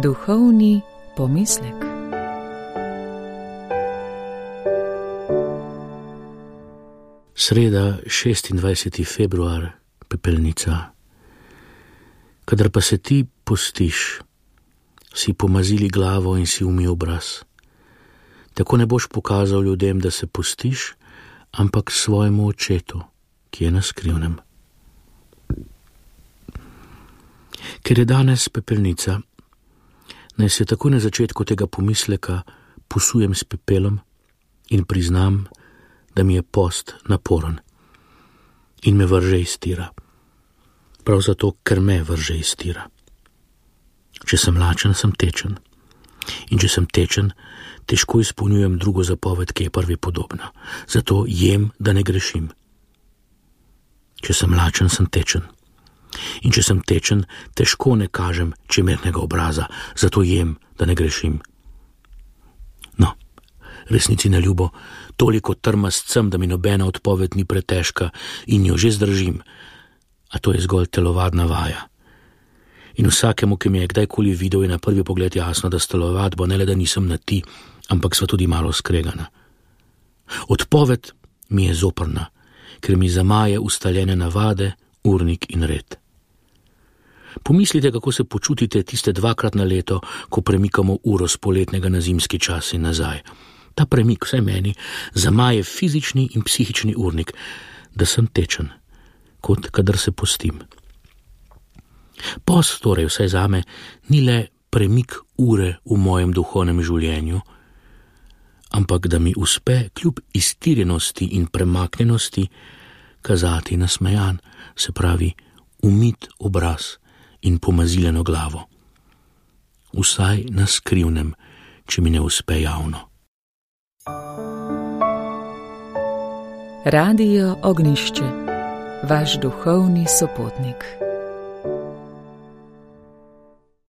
Duhovni pomislek. Sreda, 26. februar, pepelnica. Kadar pa se ti postiš, si pomazili glavo in si umil obraz. Tako ne boš pokazal ljudem, da se postiš, ampak svojemu očetu, ki je na skrivnem. Ker je danes pepelnica, naj se tako na začetku tega pomisleka posujem s pepelom in priznam, da mi je post naporen in me vrže iz tira. Prav zato, ker me vrže iz tira. Če sem lačen, sem tečen. In če sem tečen, težko izpolnjujem drugo zapoved, ki je prvi podobna. Zato jem, da ne grešim. Če sem lačen, sem tečen. In če sem tečen, težko ne kažem čemernega obraza. Zato jem, da ne grešim. No, resnici na ljubo, toliko trmast sem, da mi nobena odpoved ni pretežka in jo že zdržim. A to je zgolj telovadna vaja. In vsakemu, ki me je kdajkoli videl, je na prvi pogled jasno, da s telovadbo ne le da nisem na ti, ampak sva tudi malo skregana. Odpoved mi je zoprna, ker mi zamaje ustaljene navade, urnik in red. Pomislite, kako se počutite tiste 2-krat na leto, ko premikamo uro z poletnega na zimski čas in nazaj. Ta premik, vsaj meni, zamaje fizični in psihični urnik, da sem tečen, kot kadar se postim. Post torej vsaj zame ni le premik ure v mojem duhovnem življenju, ampak da mi uspe kljub iztirjenosti in premaknjenosti kazati nasmejan, se pravi umit obraz in pomaziljeno glavo. Vsaj na skrivnem, če mi ne uspe javno. Radio Ognjišče, vaš duhovni sopotnik.